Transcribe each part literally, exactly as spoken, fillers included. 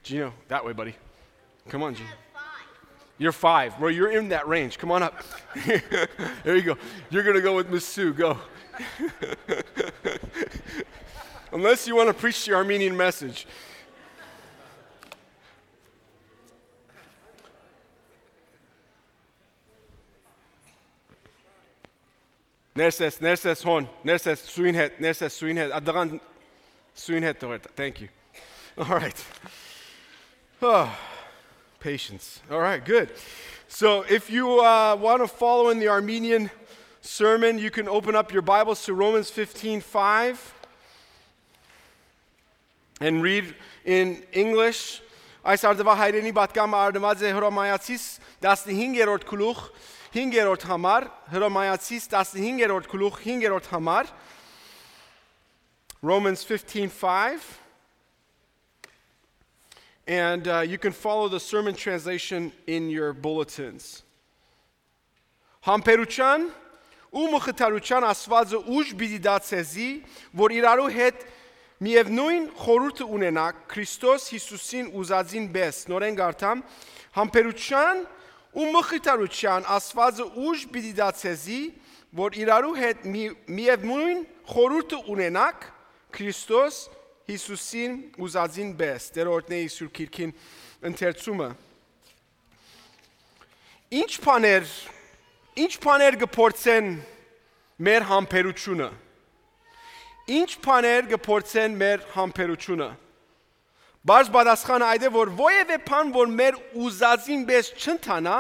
Gino, that way, buddy. Come on, Gino. You're five, bro. You're in that range. Come on up. There you go. You're going to go with Miss Sue. Go. Unless you want to preach the Armenian message. Nerses, nerses hon, nerses suin het, nerses suin het. Adagan suin het. Thank you. All right. Oh, patience. All right, good. So if you uh, want to follow in the Armenian sermon, you can open up your Bibles to Romans fifteen five and read in English. Այս արդուայ հայերէնի պատգամը առնուած է Հռոմայացիս տասնհինգերորդ գլուխ հինգերորդ համար, Հռոմայացիս տասնհինգերորդ գլուխ հինգերորդ համար, Romans fifteen five, and uh, you can follow the sermon translation in your bulletins. Համբերութեան ու մխիթարութեան Աստուածը ուժ պիտի տայ ձեզի, որ իրարու հետ միեւնոյն խորհուրդը ունենաք Քրիստոս Յիսուսին ուզածին պէս։ Նորէն կարդամ. համբերութեան ու մխիթարութեան Աստուածը ուժ պիտի տայ ձեզի, որ իրարու հետ մի, միեւնոյն խորհուրդը ունենաք Քրիստոս Յիսուսին ուզածին պէս։ Տէր օրհնէ իր Սուրբ Գիրքին ընթերցումը։ Ինչ բաներ, ինչ բաներ կը փորձեն մեր համբերութիւնը։ Ինչ բաներ կը փորձեն մեր համբերութիւնը։ Բարձ պատասխանը այդ է, որ որևէ բան, որ մեր ուզածին պէս չընթանայ,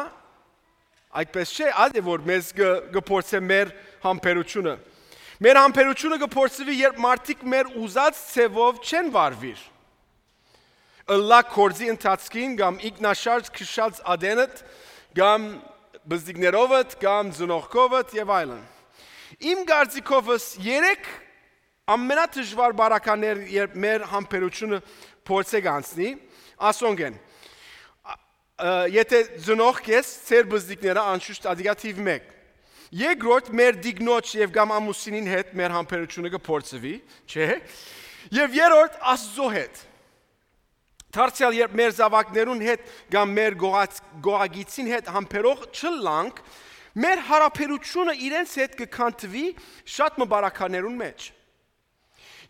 այդպես չէ, այդ է, որ մեզ կը, կը փորձե մեր համբերութիւնը։ Մեր համբերութիւնը կը փորձուի, երբ մարդիկ մեր ուզած ձևով չեն վարուիր։ Ըլլայ գործի ընթացքին կամ ինքնաշարժ քշած ատենդ կամ բզդիկներովդ կամ ծնողքովդ եւ այլն։ Իմ կարծիքովս երեք ամենադժուար բարականներ, երբ մեր համբերութիւնը փորձէ կ'անցնի, ասոնք են. ա, ը, եթե ծնողք ես, ձեր բզդիկները անշուշտ ատիկա թիվ մեկ։ Երկրորդ, մեր դիգնոջ եւ կամ ամուսինին հետ մեր համբերութիւնը կը փորձուի, չէ՞։ Եւ երրորդ, Աստուծոյ հետ։ Դարձեալ երբ մեր զաւակներուն հետ կամ մեր գողած-, գողագիցին հետ համբերող չըլլանք, մեր յարաբերութիւնը իրենց հետ կը քանդուի շատ մը բարականերուն մէջ։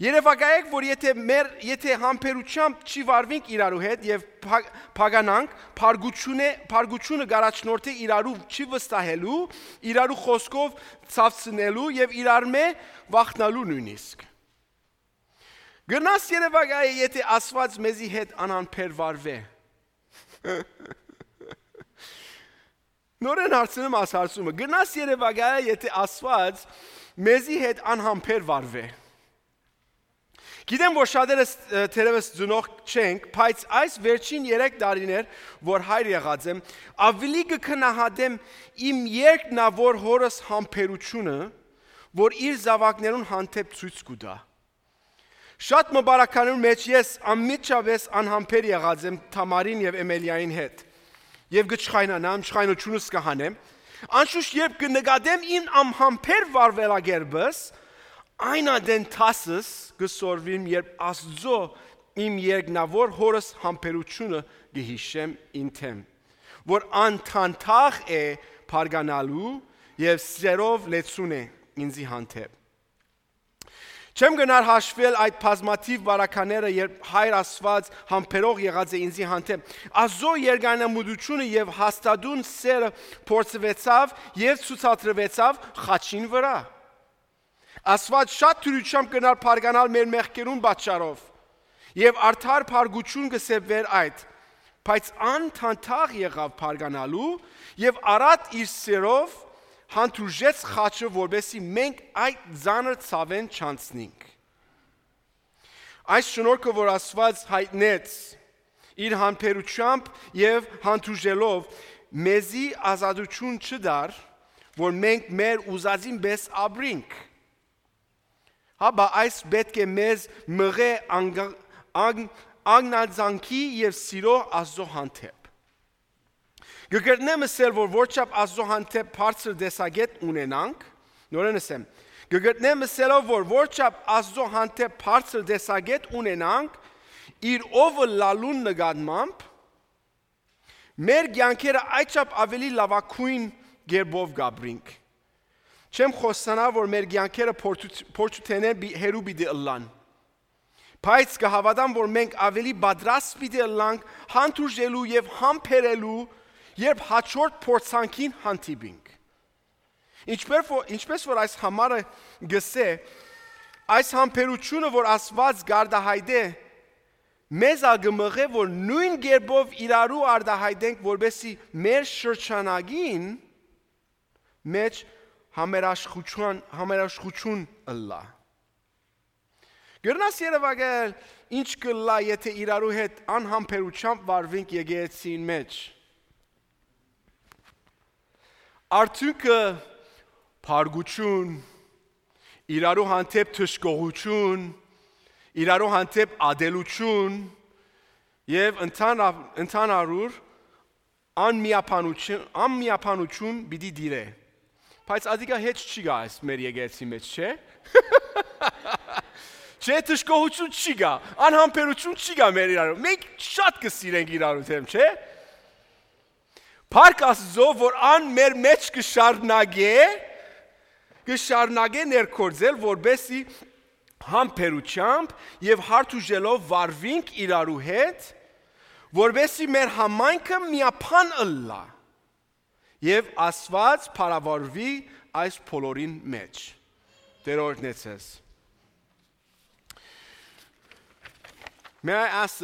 Երեւակայեք, որ եթե մեր, եթե համբերութեամբ չի վարուինք իրարու հետ եւ փա-, փականանք, փարգութիւնը, փարգութիւնը կ'առաջնորդէ իրարու չի վստահելու, իրարու խօսքով ցաւցնելու եւ իրարմէ վախնալու նոյնիսկ։ Կրնաս երեւակայել, եթե Աստուած մեզի հետ անհամբեր վարուէ։ Նորէն հարցնում աս հարցումը. կրնաս երեւակայել, եթե Աստուած մեզի հետ անհամբեր վարուէ։ Գիտեմ, որ շատերս, ը, թերեւս ծնող չենք, բայց այս վերջին երեք տարիներ, որ հայր եղած եմ, ավելի կը գնահատեմ իմ երկնաւոր հօրս համբերութիւնը, որ իր զաւակներուն հանդէպ ցոյց կու տայ։ Շատ մը բարականերուն մէջ ես անմիջապէս անհամբեր եղած եմ Թամարին եւ Էմելիային հետ։ Եւ կը չխայնանամ, չխայնությունս կը հանեմ։ Անշուշտ, երբ կը նկատեմ իմ անհամբեր վարուելակերպս, այն ատեն դասս կը սորվիմ, երբ Աստուծոյ իմ երկնաւոր հօրս համբերութիւնը կը յիշեմ ինքնեմ, որ անդանդաղ է բարգանալու եւ սիրով լեցուն է ինձի հանդէպ։ Չեմ գնար հաշվել այդ բազմաթիւ բարակաները, երբ Հայր Աստուած համբերող եղած է ինձի հանդէպ։ Աստուծոյ երկայնամտութիւնը եւ հաստատուն սերը փորձուեցաւ եւ ցուցադրուեցաւ խաչին վրայ։ Աստուած շատ դրությամբ կրնար բարգանալ մեր մեղքերուն պատճառով, եւ արդար փառքութիւն կը սեպվէր այդ, բայց անդանդաղ եղաւ բարգանալու եւ առատ իր սերով հանդուրժեց խաչը, որպեսզի մենք այդ ծանր ցաւէն չանցնենք։ Այս շնորհքը, որ Աստուած յայտնեց իր համբերությամբ եւ հանդուրժելով, մեզի ազատութիւն չտար, որ մենք մեր ուզածին պէս ապրինք։ Հապա այս պէտք է մեզ մղէ անգ-, անգ-, անգնածանքի եւ սիրո Աստուծոյ հանդէպ։ Կը կրնեմ ըսել, որ որչափ Աստուծոյ հանդէպ բարձր տեսակետ ունենանք, նորէն ըսեմ, կը կրնեմ ըսելով, որ որչափ Աստուծոյ հանդէպ բարձր տեսակետ ունենանք, իր ով ըլլալուն նկատմամբ, մեր կեանքերը այդչափ աւելի լաւագոյն կերպով կ'ապրինք։ Չեմ խօսցանար, որ մեր կեանքերը փորձ-, փորձութենէն պի-, հեռու պիտի ըլլան, բայց կը հաւատամ, որ մենք աւելի պատրաստ պիտի ըլլանք հանդուրժելու եւ համբերելու, երբ հաջորդ փորձանքին հանդիպինք։ Ինչպէս որ, ինչպէս որ այս համարը գսէ, այս համբերությունը, որ Աստուած կ'արտայայտէ, մեզ ալ կը մղէ, որ նոյն կերպով իրարու արտայայտենք, որպեսզի մեր շրջանակին մէջ համերաշխութիւն, համերաշխութիւն ըլլայ։ Կրնաս երեւակայել ինչ կ'ըլլայ, եթէ իրարու հետ անհամբերութեամբ վարուինք եկեղեցին մէջ։ Արդիւնքը՝ բարկութիւն, իրարու հանդէպ դժգոհութիւն, իրարու հանդէպ ատելութիւն եւ ընդհանա-, ընդհանուր անմիաբանութիւն, անմիաբանութիւն պիտի տիրէ։ Բայց ատիկա հեչ չի գայ այս մեր եկեղեցի մէջ, չէ՞։ Չէ, դժգոհութիւն չի գայ, անհամբերութիւն չի գայ մեր իրարու։ Մենք շատ կը սիրենք իրարու դէմ, չէ՞։ Փառք Աստուծոյ, որ ան մեր մէջ կը շարունակէ, կը շարունակէ ներգործել, որպեսզի համբերութեամբ եւ հարթուժելով վարուինք իրարու հետ, որպեսզի մեր համայնքը միաբան ըլլայ եւ Աստուած փառաւորուի այս բոլորին մէջ։ Տէր օրհնեցես։ May I ask